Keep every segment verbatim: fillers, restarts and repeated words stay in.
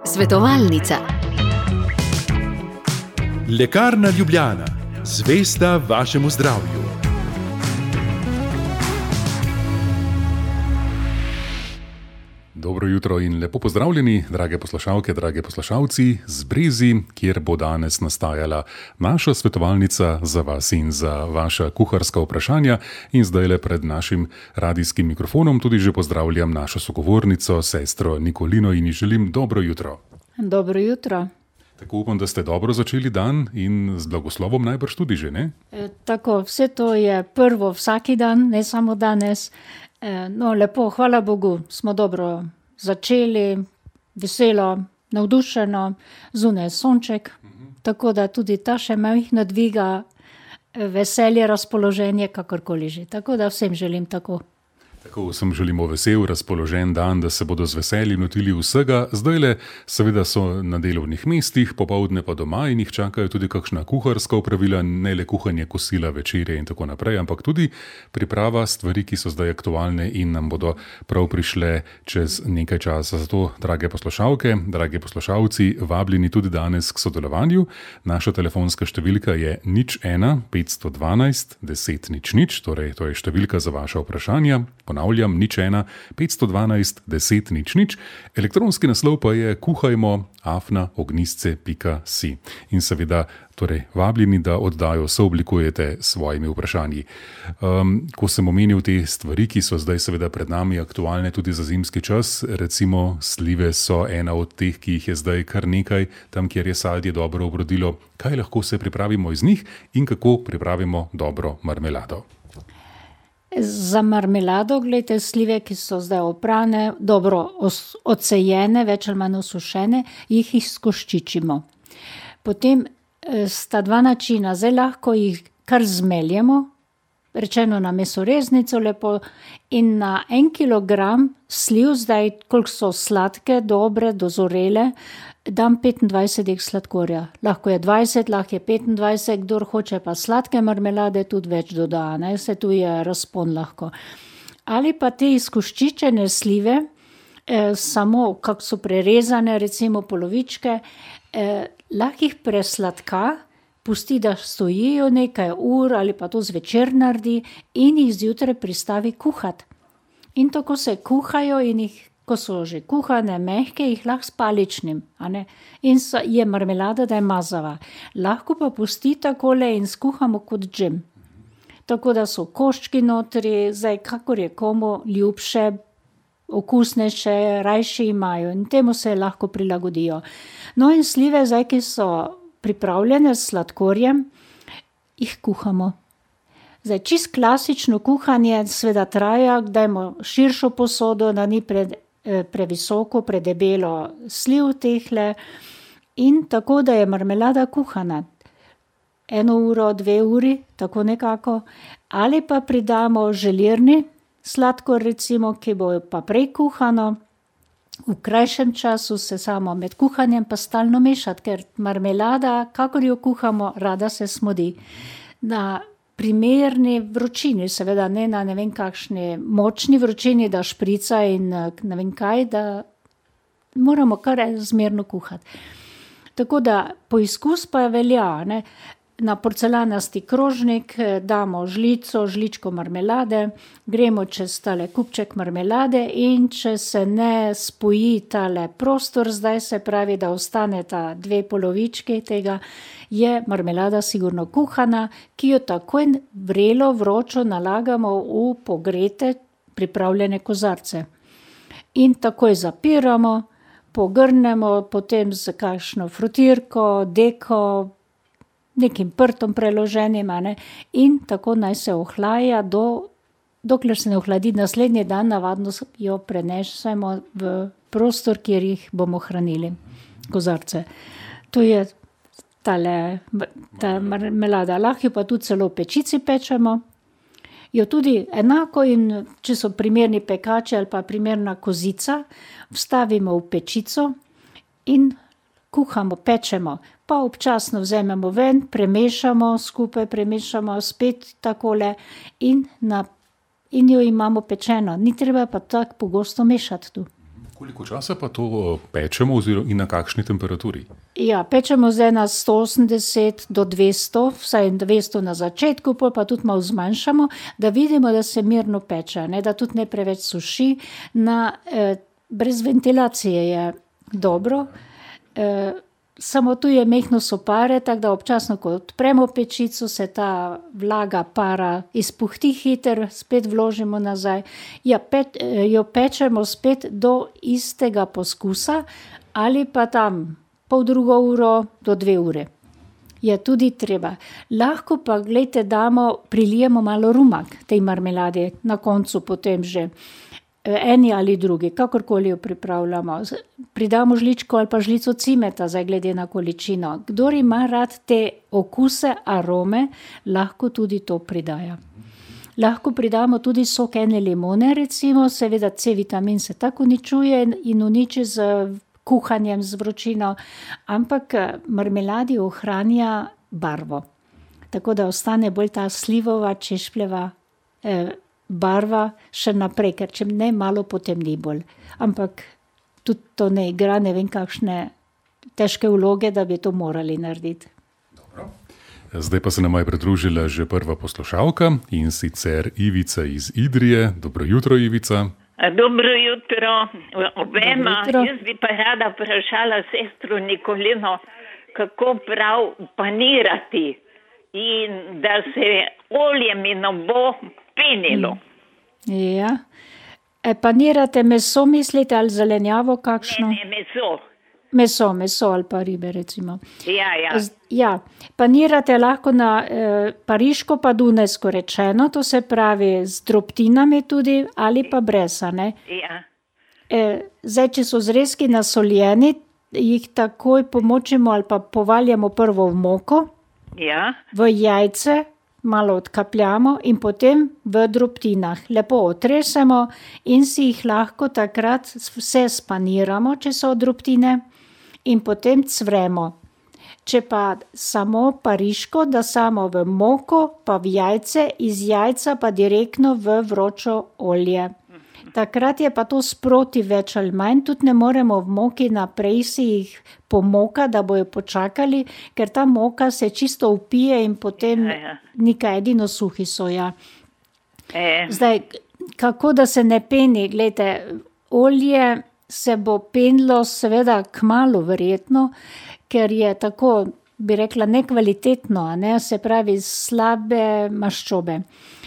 Svetovalnica. Lekarna Ljubljana, zvesta vašemu zdravju. Dobro jutro in lepo pozdravljeni, drage poslušalke, drage poslušalci, z Brezi, kjer bo danes nastajala naša svetovalnica za vas in za vaša kuharska vprašanja. In zdaj le pred našim radijskim mikrofonom tudi že pozdravljam našo sogovornico, sestro Nikolino, in ji želim dobro jutro. Dobro jutro. Tako upam, da ste dobro začeli dan in z blagoslovom najbrž tudi že, ne? E, tako, vse to je prvo vsaki dan, ne samo danes. E, no, lepo, hvala Bogu, smo dobro začeli, veselo, navdušeno, zunaj sonček, uh-huh. Tako da tudi ta še majhna dviga veselje, razpoloženje, kakorkoli že. Tako da vsem želim tako. Tako vsem želimo vesel, razpoložen dan, da se bodo z veseljem lotili vsega. Zdajle seveda so na delovnih mestih, popoldne pa doma in jih čakajo tudi kakšna kuharska opravila, ne le kuhanje kosila, večerje in tako naprej, ampak tudi priprava stvari, ki so zdaj aktualne in nam bodo prav prišle čez nekaj časa. Zato, drage poslušalke, drage poslušalci, vabljeni tudi danes k sodelovanju. Naša telefonska številka je nič ena petsto dvanajst deset nič nič, torej to je številka za vaša vprašanja. Ponavljam, nič ena petsto dvanajst deset nič nič. Elektronski naslov pa je kuhajmo afna ognjisce pika si. In seveda torej vabljeni, da oddajo sooblikujete s svojimi vprašanji. Um, ko sem omenil te stvari, ki so zdaj seveda pred nami aktualne tudi za zimski čas, recimo slive so ena od teh, ki jih je zdaj kar nekaj, tam kjer je sadje dobro obrodilo. Kaj lahko se pripravimo iz njih in kako pripravimo dobro marmelado? Za marmelado, gledajte, slive, ki so zdaj oprane, dobro odsejene, več ali manj osušene, jih izkoščičimo. Potem sta dva načina, zdaj lahko jih kar zmeljemo, rečeno na mesoreznico lepo, in na en kilogram sliv, zdaj koliko so sladke, dobre, dozorele, dam petindvajset dek sladkorja. Lahko je dvajset, lahko je petindvajset, kdor hoče pa sladke marmelade, tudi več doda, ne, se tu je razpon lahko. Ali pa te izkoščičene slive, eh, samo kako so prerezane, recimo polovičke, eh, lahko jih presladka, pusti, da stojijo nekaj ur ali pa to zvečer naredi in jih zjutraj pristavi kuhati. In tako se kuhajo in jih, ko so že kuhane, mehke, jih lahko s paličnim, a ne? In so, je marmelada, da je mazava. Lahko pa pusti takole in skuhamo kot džem. Tako da so koščki notri, zdaj kakor je komu ljubše, okusnejše, rajši imajo in temu se lahko prilagodijo. No in slive, zdaj, ki so pripravljene s sladkorjem, jih kuhamo. Zdaj, čist klasično kuhanje seveda traja, dajmo širšo posodo, da ni pred, eh, previsoko, predebelo sliv tehle in tako, da je marmelada kuhana. Eno uro, dve uri, tako nekako. Ali pa pridamo želirni sladkor, recimo, ki bo pa prej kuhano. V krajšem času se samo med kuhanjem pa stalno mešati, ker marmelada, kakor jo kuhamo, rada se smodi. Na primerni vročini, seveda ne na ne vem kakšni močni vročini, da šprica in ne vem kaj, da moramo kar zmerno kuhati. Tako da poizkus pa velja, ne. Na porcelanasti krožnik damo žlico, žličko marmelade, gremo čez tale kupček marmelade in če se ne spoji tale prostor, zdaj se pravi, da ostaneta dve polovički tega, je marmelada sigurno kuhana, ki jo takoj vrelo, vročo nalagamo v pogrete, pripravljene kozarce. In takoj zapiramo, pogrnemo, potem z kakšno frutirko, deko, nekim prtom preloženim, ne, in tako naj se ohlaja, do, dokler se ne ohladi naslednji dan, navadno jo prenesemo v prostor, kjer jih bomo hranili, kozarce. To je tale, ta marmelada, lahko pa tudi celo v pečici pečemo. Jo tudi enako in če so primerni pekači ali pa primerna kozica, vstavimo v pečico in kuhamo, pečemo. Pa občasno vzamemo ven, premešamo, skupaj premešamo spet takole in, na, in jo imamo pečeno. Ni treba pa tako pogosto mešati tu. Koliko časa pa to pečemo oziroma in na kakšni temperaturi? Ja, pečemo zdaj na sto osemdeset do dvesto, vsaj dvesto na začetku, pol pa tudi malo zmanjšamo, da vidimo, da se mirno peče, ne, da tudi ne preveč suši. Na, eh, brez ventilacije je dobro, eh, samo tu je mehno sopare, tako da občasno, ko odpremo pečico, se ta vlaga para izpuhti hiter, spet vložimo nazaj. Ja, pe, jo pečemo spet do istega poskusa ali pa tam pol drugo uro do dve ure. Je tudi treba. Lahko pa, glejte, damo, prilijemo malo rumak tej marmeladi, na koncu potem že. Eni ali drugi, kakorkoli jo pripravljamo. Pridamo žličko ali pa žlico cimeta, zdaj glede na količino. Kdor ima rad te okuse, arome, lahko tudi to pridaja. Lahko pridamo tudi sok ene limone, recimo, seveda C-vitamin se tako uničuje in uniči z kuhanjem, z vročino, ampak marmeladi ohranja barvo. Tako da ostane bolj ta slivova, češpljeva eh, barva še naprej, ker če ne malo potemni bolj. Ampak tudi to ne igra, ne vem kakšne težke vloge, da bi to morali narediti. Dobro. Zdaj pa se nam je pridružila že prva poslušalka in sicer Ivica iz Idrije. Dobro jutro, Ivica. Dobro jutro obema. Jaz bi pa rada vprašala sestro Nikolino, kako prav panirati in da se olje mi ne bo penilo. Ja. E, panirate meso, mislite, ali zelenjavo kakšno? Ne, ne, meso. Meso, meso ali pa ribe, recimo. Ja, ja. Ja, panirate lahko na eh, pariško pa dunajsko rečeno, to se pravi z drobtinami tudi ali pa brez, ne? Ja. E, zdaj, če so zrezki nasoljeni, jih takoj pomočimo ali pa povaljamo prvo v moko, Ja. v jajce, malo odkapljamo in potem v drobtinah. Lepo otresemo in si jih lahko takrat vse spaniramo, če so drobtine, in potem cvremo. Če pa samo pariško, da samo v moko, pa v jajce, iz jajca pa direktno v vročo olje. Takrat je pa to sproti več ali manj, tudi ne moremo v moki naprej si jih pomoka, da bojo počakali, ker ta moka se čisto upije in potem Ja, ja. nekaj edino suhi so, ja. E, Zdaj, kako da se ne peni, glejte, olje se bo penilo seveda kmalu verjetno, ker je tako, bi rekla, nekvalitetno, a ne, se pravi slabe maščobe.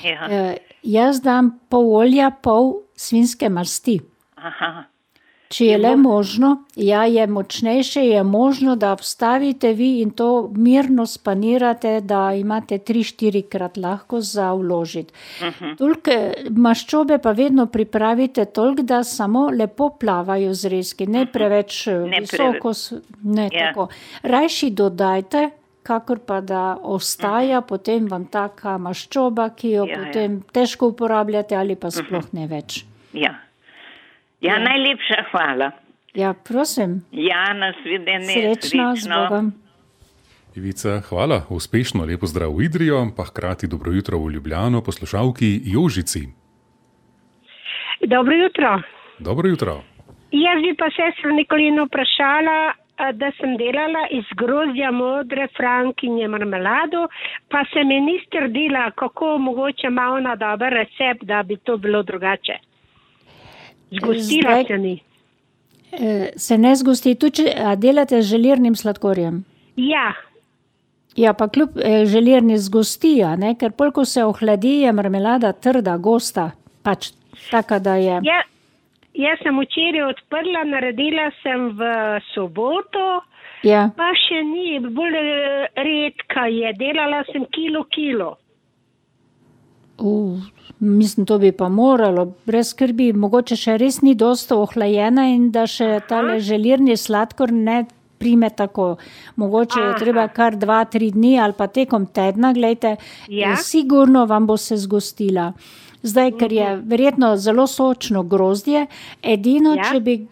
ja. E, jaz dam pol olja, pol svinjske masti. Aha. Če je le možno, ja, je močnejše, je možno, da vstavite vi in to mirno spanirate, da imate tri, štirikrat lahko za vložiti. Toliko maščobe pa vedno pripravite toliko, da samo lepo plavajo zrezki, ne preveč Ne visoko, s- ne Ja. tako. Rajši dodajte, kakor pa da ostaja potem vam taka maščoba, ki jo Ja, ja. potem težko uporabljate ali pa sploh ne več. Ja. Ja, Ja. najlepša hvala. Ja, prosim, Ja, nasvidenje. srečno, z Bogom. Ivica, hvala, uspešno, lepo zdrav v Idrijo, pa hkrati dobro jutro v Ljubljano, poslušalki Jožici. Dobro jutro. Dobro jutro. Jaz bi pa sestro Nikolino vprašala, a, da sem delala iz grozdja modre frankinje marmelado, pa se mi ni strdila, kako mogoče ima ona dober recept, da bi to bilo drugače. Zgostila Zdaj- se ni. E, se ne zgosti, tudi če a delate z želirnim sladkorjem. Ja, Ja, pa kljub e, želirni zgosti, a ne, ker pol, ko se ohladi, je marmelada trda, gosta, pač taka, da je. ja, jaz sem včeraj odprla, naredila sem v soboto, Ja, pa še ni, bolj eh, redka je, delala sem kilo kilo. uh, mislim, to bi pa moralo, brez skrbi, mogoče še res ni dosto ohlajena in da še tale želirni sladkor ne prime tako. Mogoče je Aha. treba kar dva, tri dni ali pa tekom tedna, glejte, Ja. eh, sigurno vam bo se zgostila. Zdaj, ker je verjetno zelo sočno grozdje, edino, Ja. če bi,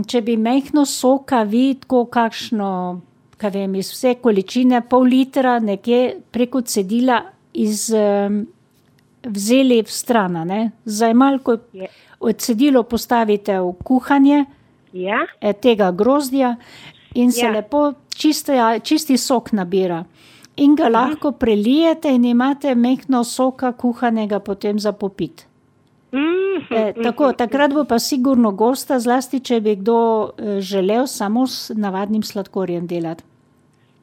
če bi mehko soka vi tako kakšno, kaj vem, iz vse količine, pol litra nekje preko cedila iz, em, vzeli v stran, a ne. Zdaj malo, ko Je. cedilo postavite v kuhanje, Ja. tega grozdja in se Ja. lepo čisti, čisti sok nabira. In ga lahko prelijete in imate mehko soka kuhanega potem za popit. Mhm, E, tako, takrat bo pa sigurno gosta, zlasti če bi kdo e, želel samo s navadnim sladkorjem delati.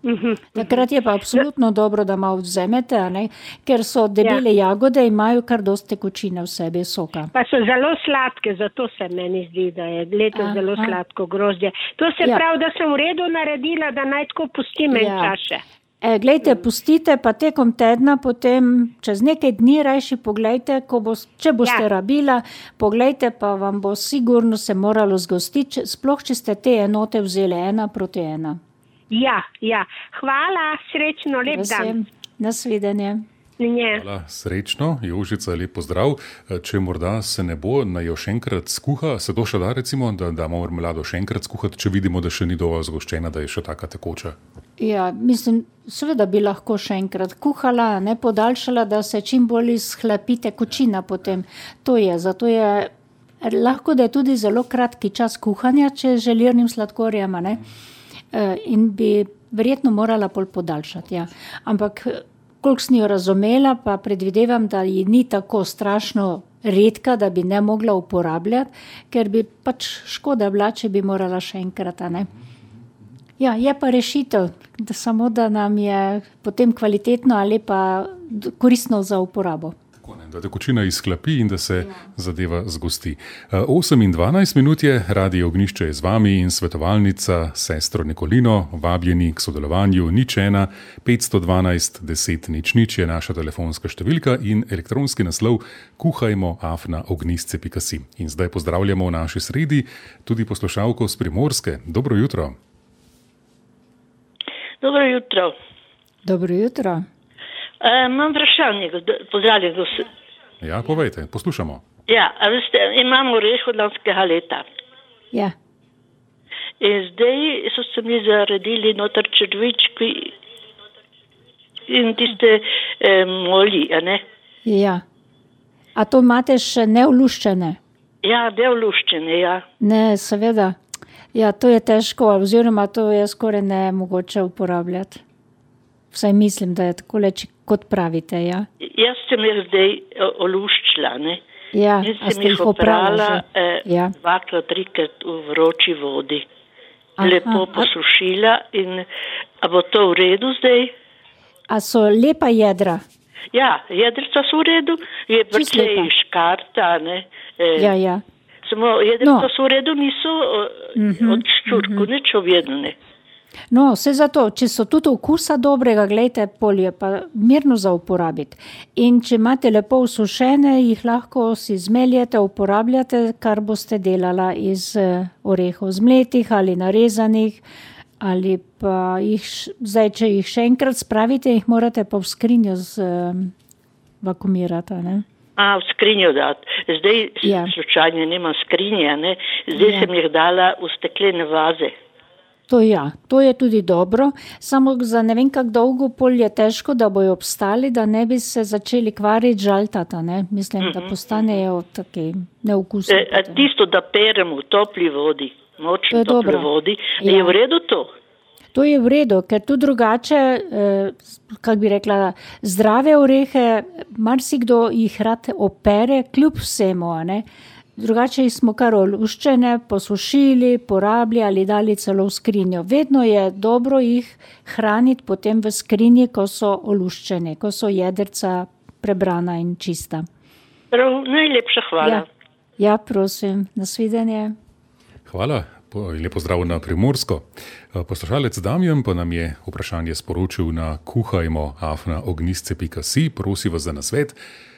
mhm. Takrat je pa absolutno dobro, da malo vzamete, a ne? Ker so debele jagode in imajo kar dosti tekočine v sebi soka. Pa so zelo sladke, zato se meni zdi, da je letos Aha. zelo sladko grozdje. To se Ja. pravi, da sem v redu naredila, da naj tako pustim en Ja. čas še. E, glejte, pustite pa tekom tedna, potem čez nekaj dni rajši poglejte, ko bo, če boste Ja. rabila, poglejte pa vam bo sigurno se moralo zgostiti, če- sploh če ste te enote vzeli ena proti ena. Ja, ja. Hvala, srečno, lep dan. Vesem. Nasvidenje. Nje. Hvala, srečno, Jožica, lep pozdrav. Če morda se ne bo, naj jo še enkrat skuha, se to še da recimo, da damo marmelado še enkrat skuhati, če vidimo, da še ni dovolj zgoščena, da je še taka tekoča. Ja, mislim, seveda bi lahko še enkrat kuhala, ne podaljšala, da se čim bolj izhlapi tekočina potem. To je, zato je lahko, da je tudi zelo kratki čas kuhanja, če z želirnim sladkorjem, a ne? E, in bi verjetno morala pol podaljšati, ja. Ampak koliko sem jo razumela, pa predvidevam, da ji ni tako strašno redka, da bi ne mogla uporabljati, ker bi pač škoda bila, če bi morala še enkrat, a ne? Ja, je pa rešitev, da samo da nam je potem kvalitetno ali pa d- koristno za uporabo. Tako, ne, da tekočina izhlapi in da se zadeva zgosti. Eh, osem in dvanajst minut je, Radio Ognjišče je z vami in svetovalnica sestro Nikolino, vabljeni k sodelovanju nič ena petsto dvanajst deset nič nič je naša telefonska številka in elektronski naslov kuhajmo afna ognjisce pika si. In zdaj pozdravljamo v naši sredi tudi poslušalko s Primorske. Dobro jutro. Dobro jutro. Dobro jutro. E, imam vprašanje, gosp- pozdravljen. gos- Ja, povejte, poslušamo. Ja, a veste, imam oreh od lanskega leta. Ja, In zdaj so se mi zaredili noter črvički in tiste e, moli, a ne? ja. A to imate še neoluščene? Ja, devluščene, ja. Ne, seveda. Ja, to je težko, oziroma to je skoraj nemogoče uporabljati. Vsaj mislim, da je tako leč, kot pravite, ja. Jaz sem jih zdaj o- oluščila, ne? Ja, In a sem ste jih jih oprala oprala že? e, Ja. dvakrat, trikrat v vroči vodi. Aha, Lepo a- posušila in a bo to v redu zdaj? A so lepa jedra? Ja, jedrca so v redu, je Čisto precej lepa. škarta, ne? E, Ja, ja. Samo jedrca No. so v redu, niso uh-huh, od ščurku, uh-huh. nič objednane. No, vse zato, če so tudi okusa dobrega, gledajte, polje pa mirno za uporabiti. In če imate lepo usušene, jih lahko si zmeljete, uporabljate, kar boste delala iz eh, orehov zmletih ali narezanih, ali pa jih, š- zdaj, če jih še enkrat spravite, jih morate pa v skrinjo z um, vakumirati, a ne? A, v skrinjo dati. Zdaj Ja. ja. slučajno nimam skrinja, ne? Zdaj Ja. ja. sem jih dala v steklene vaze. To ja, to je tudi dobro, samo za ne vem kako dolgo pol je težko, da bojo obstali, da ne bi se začeli kvariti, žaltata, ne? Mislim, da postanejo taki neokusni. E, a potem. tisto, da perem v topli vodi, To močni je topli dobro. vodi, Ja. je v redu to? To je v redu, ker tu drugače, eh, kako bi rekla, zdrave orehe, marsikdo jih rad opere, kljub vsemu, a ne? Drugače jih smo kar oluščene, posušili, porabili ali dali celo v skrinjo. Vedno je dobro jih hraniti potem v skrinji, ko so oluščeni, ko so jedrca prebrana in čista. Prav, najlepša hvala. Ja, ja, prosim, nasvidenje. Hvala. Po- in Lepo zdrav na Primorsko. Eh, Poslušalec Damjan pa nam je vprašanje sporočil na kuhajmo afna ognjisce pika si. Prosi vas za nasvet,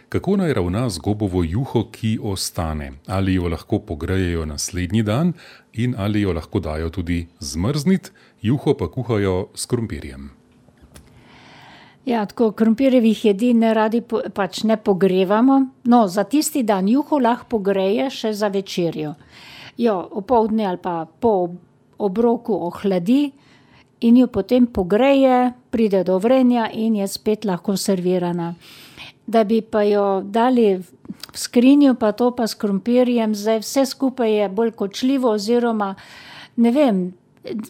kako naj ravna z gobovo juho, ki ostane. Ali jo lahko pogrejejo naslednji dan in ali jo lahko dajo tudi zmrzniti, juho pa kuhajo s krompirjem. Ja, tako krompirjevih jedi ne radi po, pač ne pogrevamo. No, za tisti dan juho lahko pogreje še za večerjo. Jo, opoldne ali pa po ob- obroku ohladi in jo potem pogreje, pride do vrenja in je spet lahko servirana. Da bi pa jo dali v skrinju pa to pa s krompirjem, zdaj vse skupaj je bolj kočljivo oziroma, ne vem,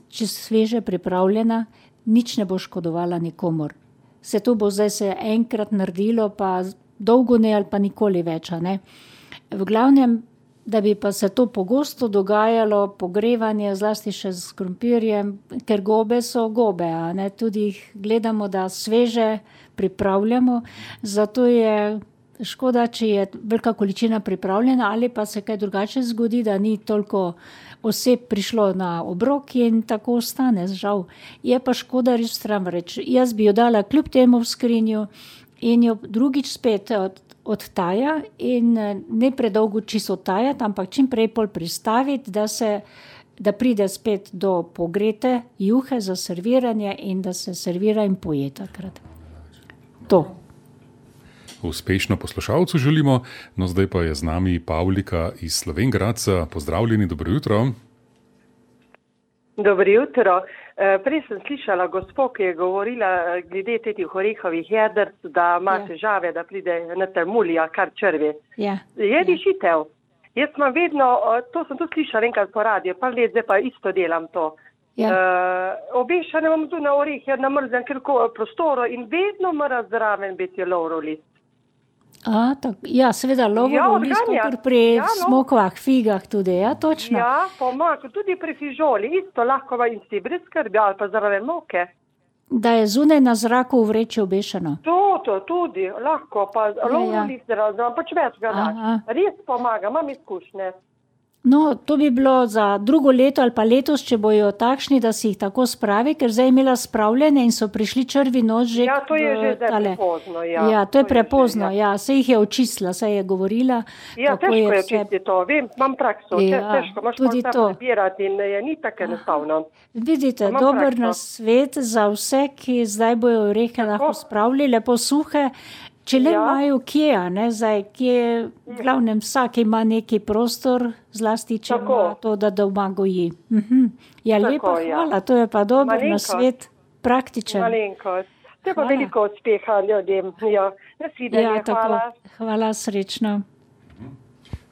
če sveže pripravljena, nič ne bo škodovala nikomor. Se to bo zdaj se enkrat naredilo, pa dolgo ne ali pa nikoli več, a ne. V glavnem, da bi pa se to pogosto dogajalo, pogrevanje, zlasti še s krompirjem, ker gobe so gobe, a ne, tudi jih gledamo, da sveže pripravljamo, zato je škoda, če je velika količina pripravljena, ali pa se kaj drugače zgodi, da ni toliko oseb prišlo na obrok in tako ostane, žal. Je pa škoda res stran reči. Jaz bi jo dala kljub temu v skrinju in jo drugič spet od odtaja in ne predolgo čisto odtajati, ampak čim prej pol pristaviti, da se, da pride spet do pogrete juhe za serviranje in da se servira in poje takrat. To. Uspešno poslušalcu želimo, no zdaj pa je z nami Pavlika iz Slovenj Gradca. Pozdravljeni, dobro jutro. Dobro jutro. Prej sem slišala gospo, ki je govorila glede teh orehovih jedrc, da ima ja. težave, da pride na termulija, kar črvi. Ja. Je rešitev. Jaz imam vedno, to sem tudi slišala enkrat po radiju, pa let zdaj pa isto delam to. Ja. Uh, obešane imam tu na orehe, na mrzem prostoru in vedno mora zraven biti lovrov list. A, tak, ja, seveda, lovorov list, kot pri ja, no. smokvah, figah tudi, ja, točno. Ja, pomaga, tudi pri fižoli, isto lahko in si brez skrbi, ali pa zraven moke. Da je zunaj na zraku v vreči obešeno. To, to, tudi, lahko, pa ja, lovorov ja. list zraven, pač več ga daš. Res pomaga, imam izkušnje. No, to bi bilo za drugo leto ali pa letos, če bojo takšni, da si jih tako spravi, ker zdaj je imela spravljene in so prišli črvi noč že. Ja, to je že zdaj prepozno, ja. Ja, to je to prepozno, je že, ja. ja, se jih je očistila, se je govorila. Ja, težko je, je očistiti to, vem, imam prakso, ja, težko, imaš tudi to prebirati in je ni tako enostavno. Vidite, dober nasvet za vse, ki zdaj bojo orehe lahko spravili, lepo suhe, če le ja. imajo kje, ne, zdaj, kje, v glavnem vsak ima neki prostor, zlasti, če tako. ima to, da doma goji. Mhm. Ja, tako, lepa ja. hvala, to je pa dober nasvet, praktičen. Malenkost. To je pa veliko uspeha ljudem. Ja, nasvidenje, ja, hvala. Hvala, srečno.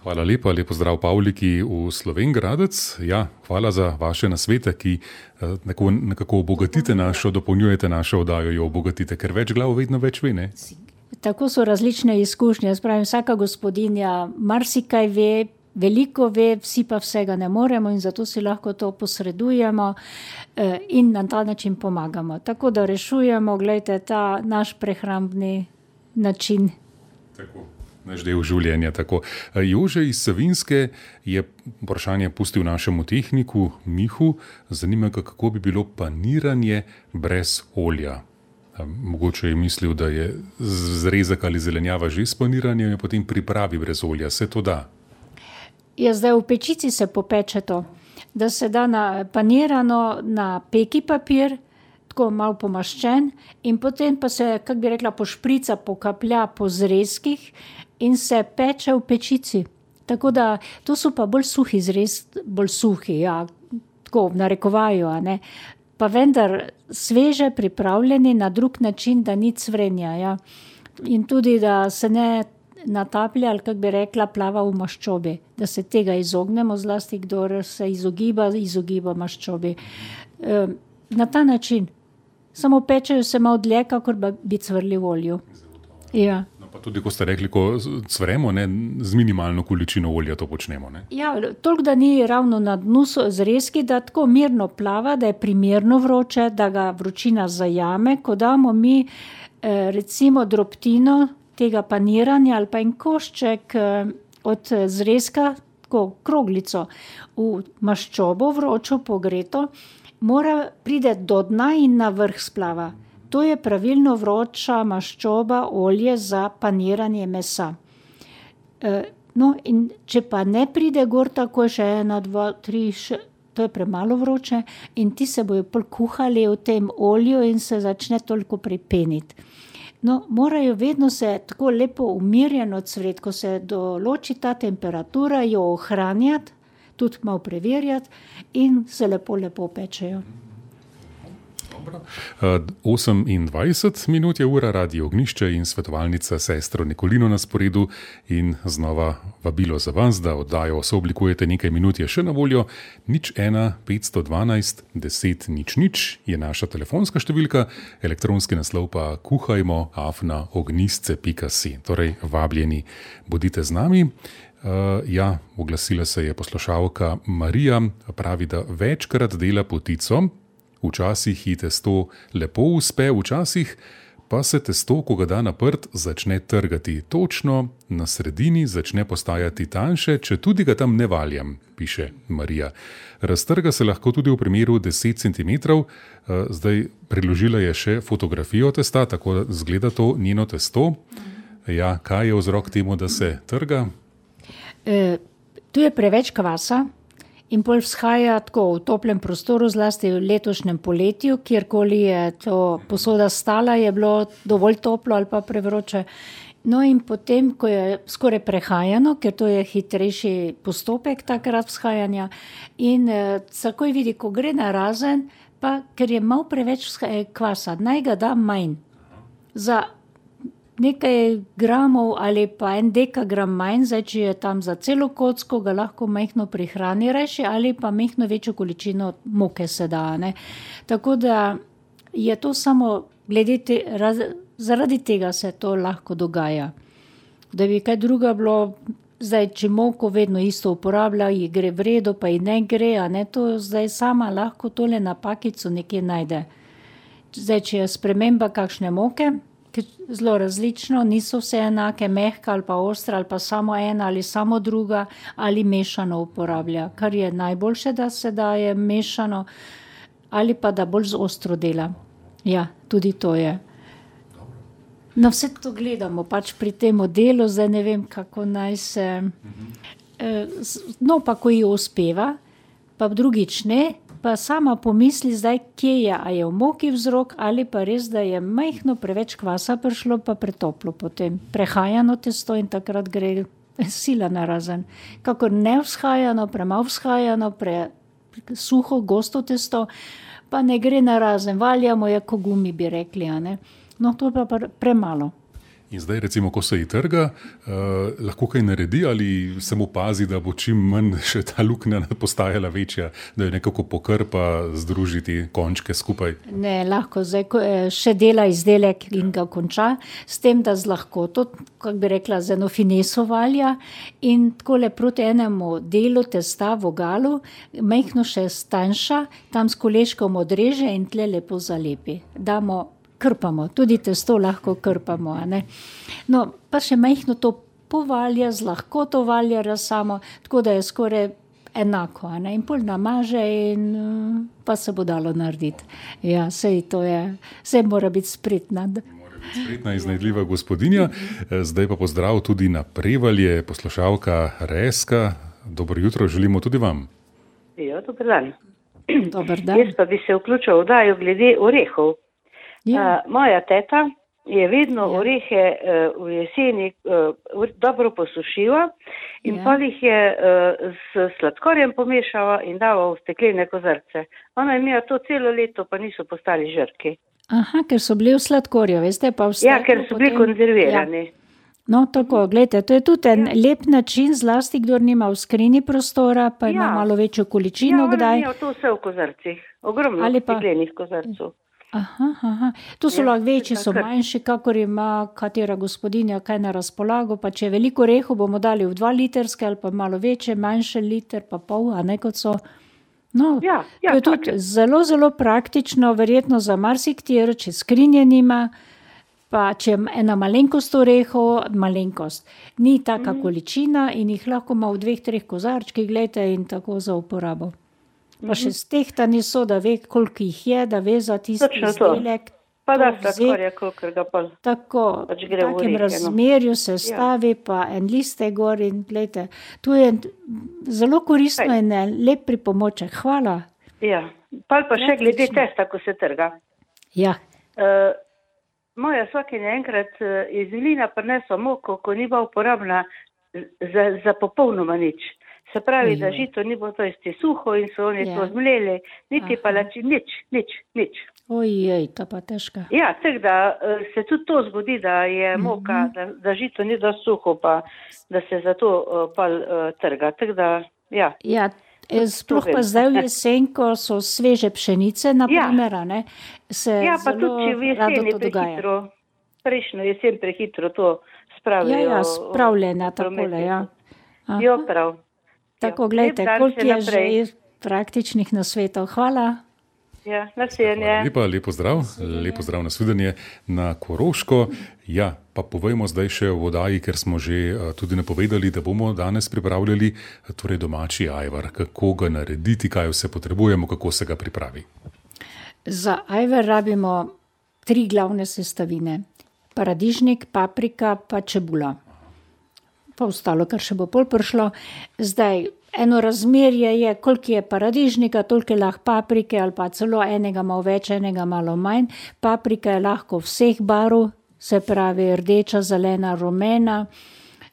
Hvala lepa, lepo zdrav Pavliki v Slovenj Gradec. Ja, hvala za vaše nasvete, ki nekako, nekako obogatite našo, dopolnjujete našo oddajo, jo obogatite, ker več glav vedno več ve, ne? Tako so različne izkušnje, spravim, vsaka gospodinja marsikaj ve, veliko ve, vsi pa vsega ne moremo in zato si lahko to posredujemo in na ta način pomagamo. Tako da rešujemo, gledajte, ta naš prehrambni način. Tako, naš del življenja. Tako. Jože iz Savinjske je vprašanje pustil našemu tehniku Mihu. Zanima ga, kako bi bilo paniranje brez olja. Mogoče je mislil, da je zrezek ali zelenjava že spaniranje in potem pripravi brez olja. Se to da? Ja, zdaj v pečici se popeče to, da se da na panirano na peki papir, tako malo pomaščen in potem pa se, kak bi rekla, pošprica, pokaplja po zrezkih in se peče v pečici. Tako da, to so pa bolj suhi zrez, bolj suhi, ja, tako v narekovaju, a ne. Pa vendar sveže pripravljeni na drug način, da ni cvrenja. Ja. In tudi, da se ne nataplja, ali kak bi rekla, plava v maščobi. Da se tega izognemo, zlasti kdor se izogiba, izogiba maščobi. E, na ta način. Samo pečejo se malo dlje, kakor bi cvrli v olju. Ja. Pa tudi, ko ste rekli, ko cvremo, ne, z minimalno količino olja to počnemo. Ne? Ja, toliko, da ni ravno na dnu zrezki, da tako mirno plava, da je primerno vroče, da ga vročina zajame. Ko damo mi eh, recimo drobtino tega paniranja ali pa en košček eh, od zrezka, tako kroglico, v maščobo vročo pogreto, mora pride do dna in na vrh splava. To je pravilno vroča maščoba, olje za paniranje mesa. E, no, in če pa ne pride gor tako še ena, dva, tri, še, to je premalo vroče in ti se bojo pol kuhali v tem olju in se začne toliko pripeniti. No, morajo vedno se tako lepo umirjeno cvret, ko se določi ta temperatura, jo ohranjati, tudi malo preverjati in se lepo, lepo pečejo. osemindvajset minut je ura, Radio Ognjišče in svetovalnica sestro Nikolino na sporedu in znova vabilo za vas, da oddajo sooblikujete nekaj minut je še na voljo. Nič ena petsto dvanajst deset nič nič je naša telefonska številka, elektronski naslov pa kuhajmo afna ognjisce pika si. Torej, vabljeni, bodite z nami. Uh, ja, oglasila se je poslušalka Marija, pravi, da večkrat dela potico, včasih ji testo lepo uspe, včasih pa se testo, ko ga da na prt, začne trgati. Točno na sredini začne postajati tanjše, če tudi ga tam ne valjam, piše Marija. Raztrga se lahko tudi v primeru deset centimetrov. Uh, zdaj priložila je še fotografijo testa, tako da zgleda to njeno testo. Ja, kaj je vzrok temu, da se trga? E, tu je preveč kvasa in pol vzhaja tako v toplem prostoru, zlasti v letošnjem poletju, kjerkoli je to posoda stala, je bilo dovolj toplo ali pa prevroče. No in potem, ko je skoraj prehajano, ker to je hitrejši postopek takrat vzhajanja in e, takoj vidi, ko gre na razen, pa ker je malo preveč kvasa, naj ga da manj. Za nekaj gramov ali pa en dekagram manj, zdaj, če je tam za celo kocko, ga lahko majhno prihrani reši ali pa majhno večjo količino moke se da. Ne? Tako da je to samo glede te, raz, zaradi tega se to lahko dogaja. Da bi kaj druga bilo, zdaj, če moko vedno isto uporablja, ji gre v redu, pa ji ne gre, a ne, to zdaj sama lahko tole napakico nekje najde. Zdaj, če je sprememba kakšne moke, zelo različno, niso vse enake, mehka ali pa ostra, ali pa samo ena ali samo druga, ali mešano uporablja, kar je najboljše, da se daje mešano, ali pa da bolj z ostro dela. Ja, tudi to je. No, vse to gledamo pač pri tem delu, zdaj ne vem, kako naj se... No, pa ko ji uspeva, pa drugič ne, pa sama pomisli zdaj, kje je, a je v moki vzrok ali pa res, da je majhno preveč kvasa prišlo, pa pretoplo potem. Prehajano testo in takrat gre sila narazen. Kakor ne vzhajano, premalo vzhajano, pre suho, gosto testo, pa ne gre narazen. Valjamo je, ko gumi bi rekli, a ne. No, to pa premalo. In zdaj, recimo, ko se ji trga, eh, lahko kaj naredi ali samo pazi, da bo čim manj še ta luknja postajala večja, da jo nekako pokrpa, združiti končke skupaj? Ne, lahko zdaj še dela izdelek in ga konča, s tem, da z lahkoto, kako bi rekla, z eno fineso valja in takole proti enemu delu testa v vogalu, majhno še stanjša, tam s koleškom odreže in tle lepo zalepi. Damo krpamo, tudi testo lahko krpamo, a ne. No, pa še majhno to povalja, z lahkoto valja samo, tako da je skoraj enako, a ne. In pol namaže in pa se bo dalo narediti. Ja, sej to je, sej mora biti spretna. Mora biti spretna, iznajdljiva gospodinja. Zdaj pa pozdrav tudi na Prevalje, poslušalka Reska. Dobro jutro, želimo tudi vam. Jo, dober dan. Dober dan. Jaz pa bi se vključil v oddajo glede orehov. Ja. Uh, moja teta je vedno ja. orehe uh, v jeseni uh, dobro posušila in ja. pa jih je uh, s sladkorjem pomešala in dala v steklene kozarce. Ona je imela to celo leto, pa niso postali žrki. Aha, ker so bili v sladkorju, veste, pa v sladkorju. Ja, ker so bili potem konzervirani. Ja. No, tako, gledajte, to je tudi en ja. lep način, zlasti, kdor nima v skrini prostora, pa ima ja. malo večjo količino, ja, kdaj. Ja, ona je to vse v kozarcih, ogromno pa steklenih kozarcov. Aha, aha. To so ja, lahko večji, so manjši, kakor ima katera gospodinja kaj na razpolago, pa če je veliko orehov, bomo dali v dva litrske ali pa malo večje, manjše liter, pa pol, a ne kot so. No, ja, ja, to je tudi tak. zelo, zelo praktično, verjetno za marsikatero, če skrinje nima, pa če ena malenkost orehov, malenkost, ni taka mm. količina in jih lahko ima v dveh, treh kozarčkih, gledajte, in tako za uporabo. Pa še stehtani so, da ve, koliko jih je, da ve za tisti izdelek. Pa da sladkorja, koliko ga pa tako, pač v takem razmerju se stavi, ja. pa en liste gor in gledajte, to je zelo koristno Hej. in lep pripomoček. Hvala. Ja, pa pa še glede testa, ko se trga. Ja. Uh, moja svakinja enkrat uh, iz Vilina prinesla moko, ko ni bila uporabna za, za popolnoma nič. Se pravi, da žito ni bilo to isti suho in so oni to zmleli, niti palači, nič, nič, nič. Ojej, to pa težka. Ja, tako da se tudi to zgodi, da je moka, da, da žito ni dosti suho, pa da se zato pal trga. Tako da, ja. Ja, sploh pa zdaj v jesen, ko so sveže pšenice, na primer, ne, se ja, pa zelo tudi, če v rado jeseni to dogaja. prehitro, prejšnjo jesen prehitro to spravijo. Ja, ja, spravljena takole, ja. Aha. Jo, prav. Tako, gledajte, koliko je že praktičnih nasvetov. Hvala. Ja, nasvidenje. Lepa, lepo zdrav, lepo zdrav, nasvidenje na Koroško. Ja, pa povejmo zdaj še o vodaji, ker smo že tudi napovedali, da bomo danes pripravljali torej domači ajvar. Kako ga narediti, kaj vse potrebujemo, kako se ga pripravi? Za ajvar rabimo tri glavne sestavine. Paradižnik, paprika pa čebula. Pa ostalo, kar še bo pol prišlo. Zdaj, eno razmerje je, koliko je paradižnika, toliko je lahko paprike, ali pa celo enega malo več, enega malo manj. Paprika je lahko vseh barv, se pravi rdeča, zelena, rumena,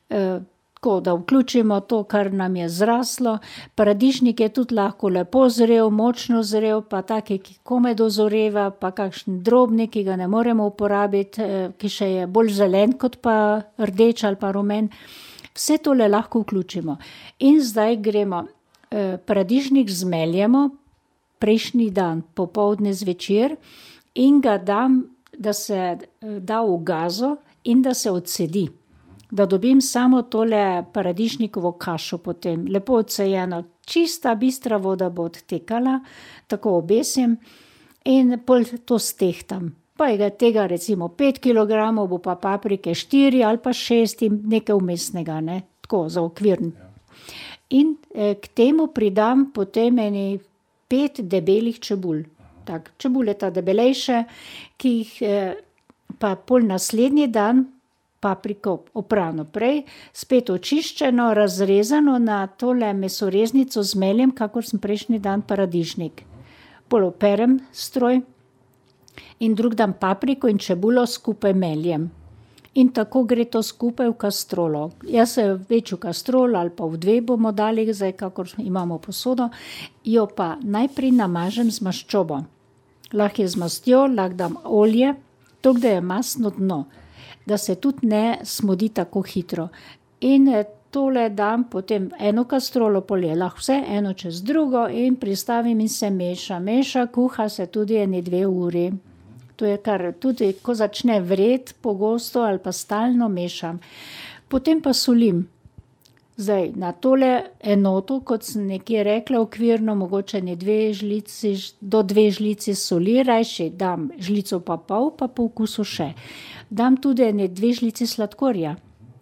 e, tako da vključimo to, kar nam je zraslo. Paradižnik je tudi lahko lepo zrel, močno zrel, pa taki, ki komaj dozoreva, pa kakšen drobnik, ki ga ne moremo uporabiti, e, ki še je bolj zelen kot pa rdeč ali pa rumen. Vse tole lahko vključimo. In zdaj gremo, eh, paradižnik zmeljemo prejšnji dan, popoldne zvečer in ga dam, da se eh, da v gazo in da se odsedi. Da dobim samo tole paradižnikovo kašo potem, lepo odsejeno, čista, bistra voda bo odtekala, tako obesim in pol to stehtam. Pa je tega recimo pet kilogramov, bo pa paprike štiri ali pa šest in nekaj vmesnega, ne, tako za okvirn. In eh, k temu pridam potem eni pet debelih čebul. Tak, čebule ta debelejše, ki jih eh, pa pol naslednji dan papriko oprano prej, spet očiščeno, razrezano na tole mesoreznico zmeljem, kakor sem prejšnji dan paradižnik. Pol operem stroj. In drug dan papriko in čebulo skupaj meljem. In tako gre to skupaj v kastrolo. Jaz se večjo kastrolo ali pa v dve bomo dali, zdaj kakor imamo posodo, jo pa najprej namažem z maščobo. Lahko je z mastjo, lahko dam olje, tako da je masno dno, da se tudi ne smodi tako hitro. In tole dam potem eno kastrolo, pol je lahko vse, eno čez drugo in pristavim in se meša. Meša, kuha se tudi ene dve uri. To je kar tudi, ko začne vret pogosto ali pa stalno mešam. Potem pa solim. Zdaj, na tole enoto, kot sem nekje rekla, okvirno, mogoče ne dve žlici, do dve žlici soli, rajši dam žlico pa pol, pa po okusu še. Dam tudi ene dve žlici sladkorja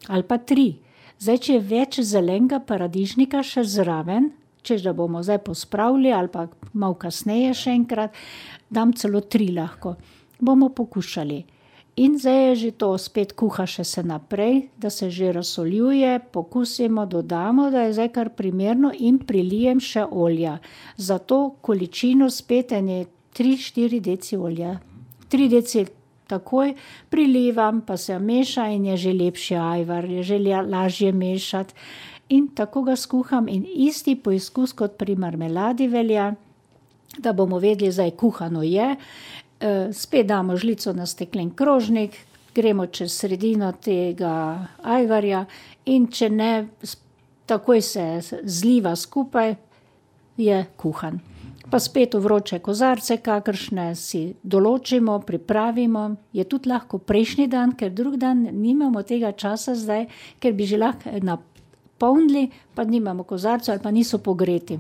ali pa tri. Zdaj, če je več zelenega paradižnika še zraven, češ da bomo zdaj pospravili ali pa malo kasneje še enkrat, dam celo tri lahko. Bomo pokušali. In zdaj je že to spet kuha še se naprej, da se že razsoljuje, pokusimo, dodamo, da je zdaj kar primerno in prilijem še olja. Za to količino spet ene tri štiri deci olja. tri deci takoj prilivam, pa se meša in je že lepši ajvar, je že lažje mešati. In tako ga skuham in isti poizkus kot pri marmeladi velja, da bomo vedeli, zdaj kuhano je. Spet damo žlico na steklen krožnik, gremo čez sredino tega ajvarja in če ne, takoj se zliva skupaj, je kuhan. Pa spet v vroče kozarce, kakršne si določimo, pripravimo, je tudi lahko prejšnji dan, ker drug dan nimamo tega časa zdaj, ker bi že lahko napolnili, pa nimamo kozarcev ali pa niso pogreti.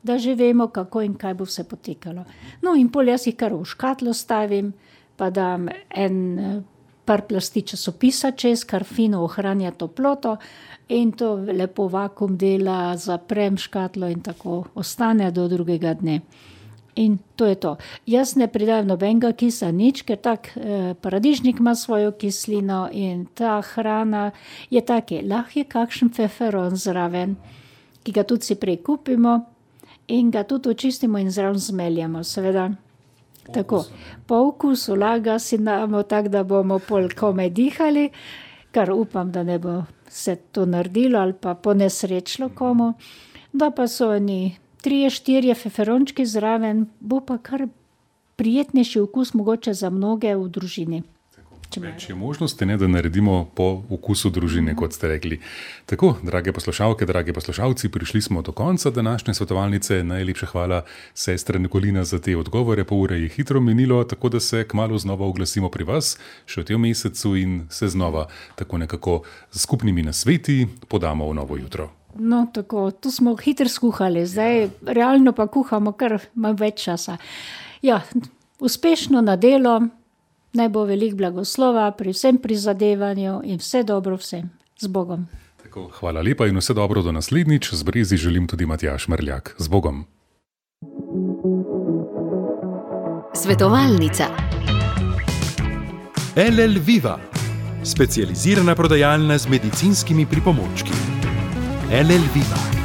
Da že vemo, kako in kaj bo vse potekalo. No in pol jaz jih kar v škatlo stavim, pa dam en par plasti časopisa čez, kar fino ohranja toploto in to lepo vakuum dela, zaprem škatlo in tako ostane do drugega dne. In to je to. Jaz ne pridajam nobenega kisa nič, ker tak eh, paradižnik ima svojo kislino in ta hrana je take, lahko je kakšen feferon zraven, ki ga tudi si prej kupimo, in ga tudi očistimo in zraven zmeljamo, seveda. Tako, po okusu laga si damo tako, da bomo pol komaj dihali, kar upam, da ne bo se to naredilo ali pa ponesrečilo komu. Da pa so oni trije, štirje feferončki zraven, bo pa kar prijetnejši okus mogoče za mnoge v družini. Več je možnosti, ne, da naredimo po okusu družine, kot ste rekli. Tako, drage poslušalke, dragi poslušalci, prišli smo do konca današnje svetovalnice. Najlepša hvala, sestra Nikolina, za te odgovore. Pol ure je hitro minilo, tako da se kmalu znova oglasimo pri vas, še v tem mesecu in se znova tako nekako z skupnimi nasveti podamo v novo jutro. No, tako, tu smo hitro skuhali, zdaj ja. Realno pa kuhamo kar malo več časa. Ja, uspešno na delo. Naj bo veliko blagoslova pri vsem prizadevanju in vse dobro vsem. Z Bogom. Tako, hvala lepa in vse dobro do naslednjič. Z Brezi želim tudi Matjaž Mrljak. Z Bogom. Svetovalnica. L L Viva, specializirana prodajalna z medicinskimi pripomočki. L L Viva.